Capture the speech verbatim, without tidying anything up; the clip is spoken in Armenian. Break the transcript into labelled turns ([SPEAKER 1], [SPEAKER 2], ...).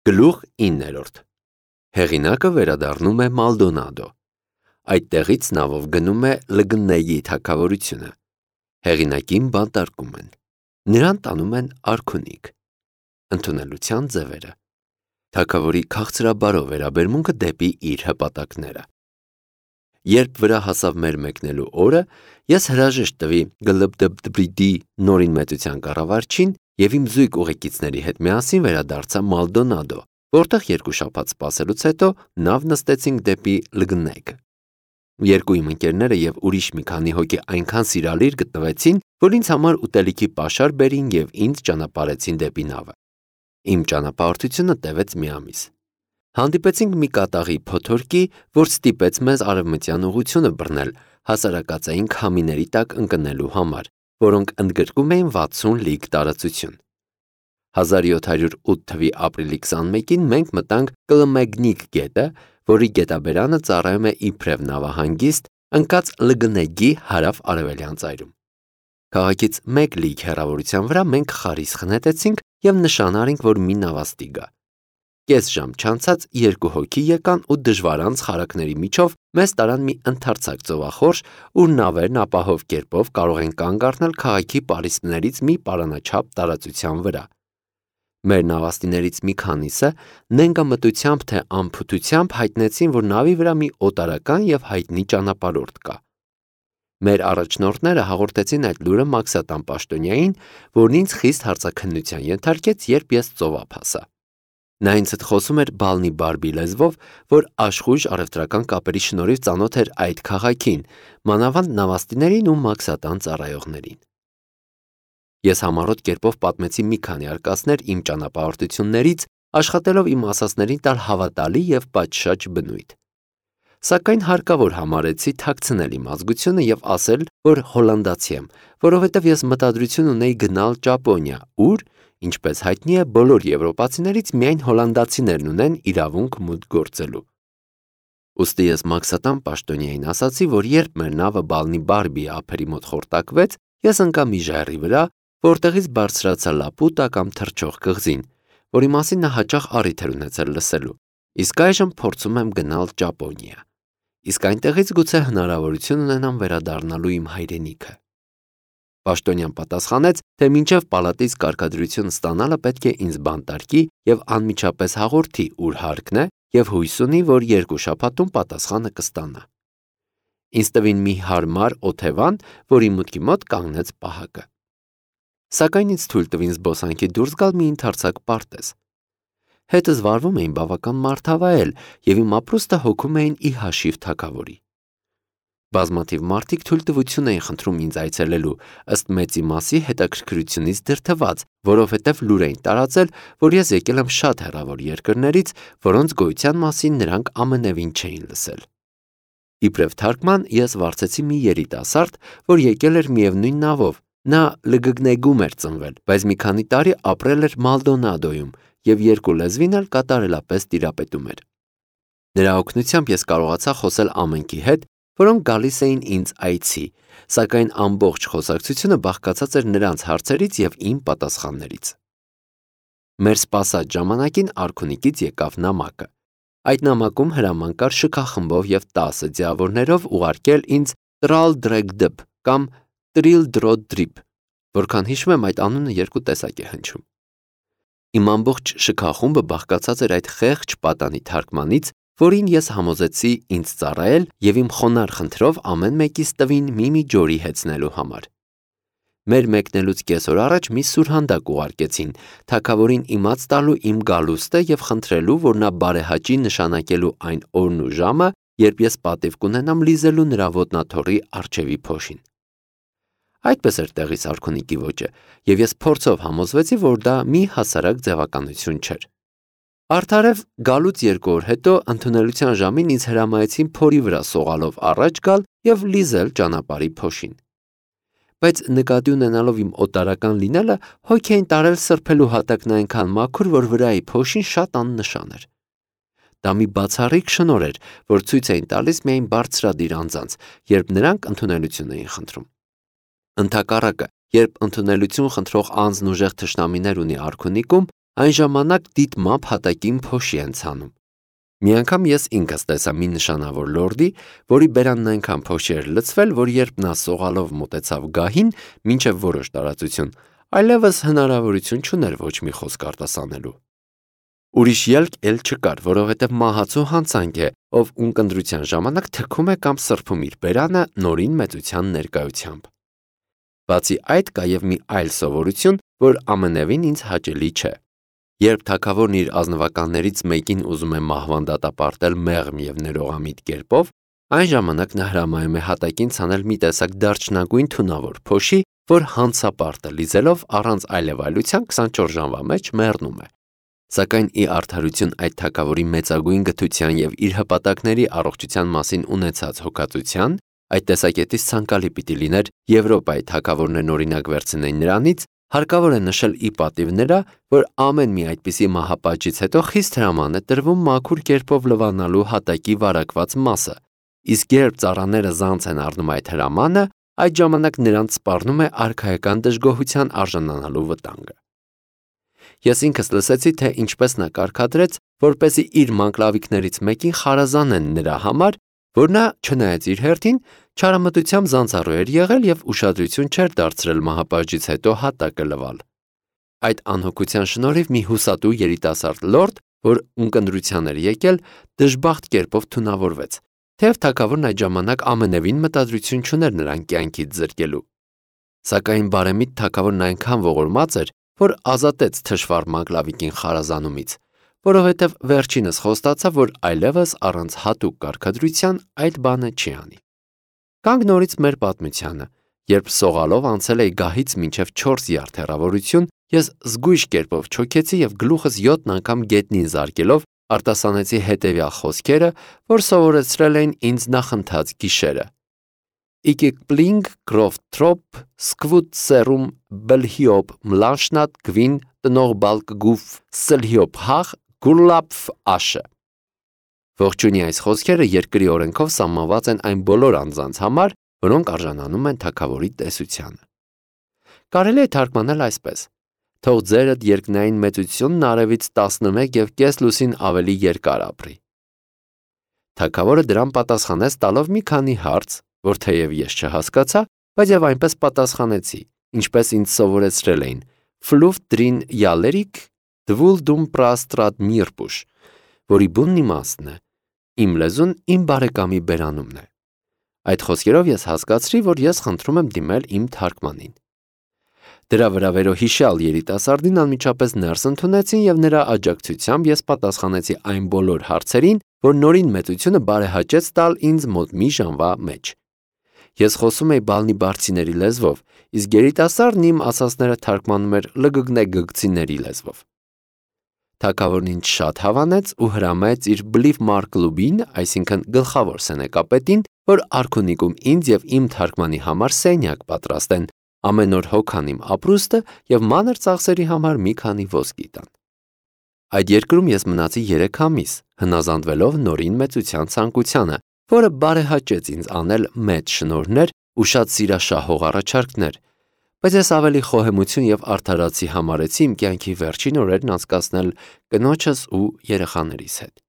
[SPEAKER 1] Գլուխ իններորդ Հեղինակը վերադառնում է Մալդոնադո։ Այդտեղից նավով գնում է Լգնեգի թագավորությունը։ Հեղինակին բանտարկում են։ Նրան տանում են արքունիք։ Ընդունելության ձևերը։ Թագավորի քաղցրաբարո վերաբերմունքը դեպի իր հպատակները։ Երբ վրա հասավ մեր մեկնելու օրը, ես հրաժեշտ տվի Գլբդբդբրիդի նորին մեծության կառավարչին և իմ զույգ ուղեկիցների հետ միասին վերադարձա Մալդոնադո, որտեղ երկու շաբաթ սպասելուց հետո նավ նստեցինք դեպի Լգնեգ։ Երկու իմ ընկերները և ուրիշ մի քանի հոգի այնքան սիրալիր գտնվեցին, որ ինձ համար ուտելիքի պաշար բերին և ինձ ճանապարհեցին դեպի նավը։ Իմ ճանապարհորդությունը տևեց մի ամիս։ Հանդիպեցինք մի կատաղի փոթորկի, որ ստիպեց մեզ արևմտյան ուղղությունը բռնել հասարակածային քամիների տակ ընկնելու համար, որոնք ընդգրկում էին վաթսուն լիգ տարածություն։ հազար յոթ հարյուր ութ թվականի ապրիլի քսանմեկին մենք մտանք Կլմեգնիկ գետը, որի գետաբերանը ծառայում է իբրև նավահանգիստ, ընկած Լգնեգի հարավ-արևելյան ծայրում։ Քաղաքից մեկ լիգ հեռավորության վրա մենք խարիսխ նետեցինք և նշան արինք, որ մի նավաստի գա։ Կես ժամ չանցած երկու հոգի եկան ու դժվարանց խարակների միջով մեզ տարան մի ընդարձակ ծովախորշ, ուր նավերն ապահով կերպով կարող են կանգ առնել քաղաքի պարիսպներից մի պարանաչափ տարածության վրա։ Մեր նավաստիներից մի քանիսը նենգամտությամբ թե անփութությամբ հայտնեցին, որ նավի վրա մի օտարական և հայտնի ճանապարհորդ կա։ Մեր առաջնորդները հաղորդեցին այդ լուրը Մաքսատան պաշտոնյային, որն ինձ խիստ հարցաքննության ենթարկեց, երբ ես ծովափ հասա։ Նա ինձ հետ խոսում էր բալնի բարբի լեզվով, որ աշխույժ առևտրական կապերի շնորհիվ ծանոթ էր այդ քաղաքին, մանավանդ նավաստիներին ու Մաքսատան ծառայողներին։ Ես համառոտ կերպով պատմեցի մի քանի արկածներ իմ ճանապարհորդություններից, աշխատելով իմ ասածներին տալ հավատալի և պատշաճ բնույթ։ Սակայն հարկավոր համարեցի թաքցնել իմ ազգությունը և ասել, որ հոլանդացի եմ, որովհետև ես մտադրություն ունեի գնալ Ճապոնիա, ուր, ինչպես հայտնի է, բոլոր եվրոպացիներից միայն հոլանդացիներն ունեն իրավունք մուտք գործելու։ Ուստի ես Մաքսատան պաշտոնյային ասացի, որ երբ մեր նավը բալնի բարբի ափերի մոտ խորտակվեց, ես ընկա մի ժայռի վրա, որտեղից բարձրացա լապուտա կամ թռչող կղզին, որի մասին նա հաճախ առիթ էր ունեցել լսելու, իսկ այժմ փորձում եմ գնալ Ճապոնիա, իսկ այնտեղից գուցե հնարավորություն ունենամ վերադառնալու իմ հայրենիքը։ Պաշտոնյան պատասխանեց, թե մինչև պալատից կարգադրություն ստանալը պետք է ինձ բանտարկի և անմիջապես հաղորդի, ուր հարկն է, և հույս ունի, որ երկու շաբաթում պատասխանը կստանա։ Ինձ տվին մի հարմար օթևան, որի մուտքի մոտ կանգնեց պահակը։ Սակայն ինձ թույլ տվին զբոսանքի դուրս գալ մի ընդարձակ պարտեզ։ Հետս վարվում էին բավական մարդավայել, և իմ ապրուստը հոգում էին ի հաշիվ թագավորի։ Բազմաթիվ մարդիկ թույլտվություն էին խնդրում ինձ այցելելու, ըստ մեծի մասի հետաքրքրությունից դրդված, որովհետև լուր էին տարածել, որ ես եկել եմ շատ հեռավոր երկրներից, որոնց գոյության մասին նրանք ամենևին չէին լսել։ Իբրև թարգման ես վարձեցի մի երիտասարդ, որ եկել էր միևնույն նավով, նա Լգնեգում էր ծնվել, բայց մի քանի տարի ապրել էր Մալդոնադոյում և երկու լեզվին էլ կատարելապես տիրապետում էր։ Նրա օգնությամբ ես կարողացա խոսել ամենքի հետ, որոնք գալիս էին ինձ այցի, սակայն ամբողջ խոսակցությունը բաղկացած էր նրանց հարցերից և իմ պատասխաններից։ Մեր սպասած ժամանակին արքունիքից եկավ նամակը։ Այդ նամակում հրաման կար շքախմբով և տասը ձիավորներով ուղարկել ինձ Տրալդրեգդբ կամ Տրիլդրոդրիբ, որքան հիշում եմ, այդ անունը երկու տեսակ է հնչում։ Իմ ամբողջ շքախումբը բաղկացած էր այդ խեղճ պատանի թարգմանից, որին ես համոզեցի ինձ ծառայել և իմ խոնարհ խնդրով ամեն մեկիս տվին մի-մի ջորի հեծնելու համար։ Մեր մեկնելուց կես օր առաջ մի սուրհանդակ ուղարկեցին, թագավորին իմաց տալու իմ գալուստը և խնդրելու, որ նա բարեհաճի նշանակելու այն օրն ու ժամը, երբ ես պատիվ կունենամ լիզելու նրա ոտնաթոռի առջևի փոշին։ Այդպես էր տեղիս արքունիքի ոճը, և ես փորձով համոզվեցի, որ դա մի հասարակ ձևականություն չէր։ Արդարև գալուց երկու օր հետո ընդունելության ժամին ինձ հրամայեցին փորի վրա սողալով առաջ գալ և լիզել ճանապարհի փոշին։ Բայց նկատի ունենալով իմ օտարական լինելը, հոգ էին տարել սրբելու հատակն այնքան մաքուր, որ վրայի փոշին շատ աննշան էր։ Դա մի բացառիկ շնորհ էր, որ ցույց էին տալիս միայն բարձրադիր անձանց, երբ նրանք ընդունելություն էին խնդրում։ Ընդհակառակը, երբ ընդունելություն խնդրող անձն ուժեղ թշնամիներ ունի արքունիքում, Այն ժամանակ դիտմամբ հատակին փոշի են ցանում։ Մի անգամ ես ինքս տեսա մի նշանավոր լորդի, որի բերանն այնքան փոշի էր լցվել, որ երբ նա սողալով մոտեցավ գահին, մինչև որոշ տարածություն, այլևս հնարավորություն չուներ ոչ մի խոսք արտասանելու։ Ուրիշ ելք էլ չկար, որովհետև մահացու հանցանք է, ով ունկնդրության ժամանակ թքում է կամ սրբում իր բերանը նորին մեծության ներկայությամբ։ Բացի այդ կա և մի այլ սովորություն, որ ամենևին ինձ հաճելի չէ։ Երբ թագավորն իր ազնվականներից մեկին ուզում է մահվան դատապարտել մեղմ և ներողամիտ կերպով, այն ժամանակ նա հրամայում է հատակին ցանել մի տեսակ դարչնագույն թունավոր փոշի, որ հանցապարտը լիզելով առանց այլևայլության քսանչորս ժամվա մեջ մեռնում է։ Սակայն ի արդարություն այդ թագավորի մեծագույն գթության և իր հպատակների առողջության մասին ունեցած հոգածության, այդ տեսակետից ցանկալի պիտի լիներ Եվրոպայի թագավորներն օրինակ վերցնեին նրանից, հարկավոր է նշել ի պատիվ նրա, որ ամեն մի այդպիսի մահապատժից հետո խիստ հրաման է տրվում մաքուր կերպով լվանալու հատակի վարակված մասը, իսկ երբ ծառաները զանց են առնում այդ հրամանը, այդ ժամանակ նրանց սպառնում է արքայական դժգոհության արժանանալու վտանգը։ Ես ինքս լսեցի, թե ինչպես նա կարգադրեց, որպեսզի իր մանկլավիկներից մեկին խարազանեն նրա համար, որ նա, չնայած իր հերթին, չարամտությամբ զանցառու էր եղել և ուշադրություն չէր դարձրել մահապատժից հետո հատակը լվալ։ Այդ անհոգության շնորհիվ մի հուսատու երիտասարդ լորդ, որ ունկնդրության էր եկել, դժբախտ կերպով թունավորվեց, թեև թագավորն այդ ժամանակ ամենևին մտադրություն չուներ նրան կյանքից զրկելու։ Սակայն բարեմիտ թագավորն այնքան ողորմած էր, որ ազատեց թշվառ մանկլավիկին խարազանումից, որովհետև վերջինս խոստացավ, որ այլևս առանց հատուկ կարգադրության այդ բանը չի անի։ Գանք նորից մեր պատմությանը, երբ սողալով անցել էի գահից մինչև չորս յարդ հեռավորություն, ես զգույշ կերպով չոքեցի և գլուխս յոթ անգամ գետնին զարկելով արտասանեցի հետևյալ խոսքերը, որ սովորեցրել էին ինձ նախընթաց գիշերը. Իկիկպլինգ կրոֆտրոպ սկվուտ սերում բլհիոպ մլանշնատ գվին տնող բալկգուվ սլհիոպ հաղ գուրլապֆ աշը։ Ողջունի այս խոսքերը երկրի օրենքով սահմանված են այն բոլոր անձանց համար, որոնք արժանանում են թագավորի տեսությանը։ Կարելի է թարգմանել այսպես. թող ձերդ երկնային մեծությունն արևից տասնմեկ և կես լուսին ավելի երկար ապրի։ Թագավորը դրան պատասխանեց տալով մի քանի հարց, որ թեև ես չհասկացա, բայց և այնպես պատասխանեցի, ինչպես ինձ սովորեցրել էին. Ֆլուվ դրին յալերիկ դվուլ դում պրաստրատ միրպուշ, որի բունն իմաստն է, իմ լեզուն իմ բարեկամի բերանումն է։ Այդ խոսքերով ես հասկացրի, որ ես խնդրում եմ դիմել իմ թարգմանին։ Դրա վրա վերոհիշյալ երիտասարդին անմիջապես ներս ընդունեցին և նրա աջակցությամբ ես պատասխանեցի այն բոլոր հարցերին, որ նորին մեծությունը բարեհաճեց տալ ինձ մոտ մի ժամվա մեջ։ Ես խոսում էի բալնիբարդցիների լեզվով, իսկ երիտասարդն իմ ասածները թարգմանում էր լգգնեգգցիների լեզվով։ Թագավորն ինձ շատ հավանեց ու հրամայեց իր բլիվ մարկլուբին, այսինքն գլխավոր սենեկապետին, որ արքունիքում ինձ և իմ թարգմանի համար սենյակ պատրաստեն, ամեն օր հոգան իմ ապրուստը և մանր ծախսերի համար մի քանի ոսկի տան։ Այդ երկրում ես մնացի երեք ամիս, հնազանդվելով նորին մեծության ցանկությանը, որը բարեհաճեց ինձ անել մեծ շնորհներ ու շատ սիրաշահող առաջարկներ, բայց ես ավելի խոհեմություն և արդարացի համարեցի իմ կյանքի վերջին օրերն անցկացնել կնոջս ու երեխաներիս հետ։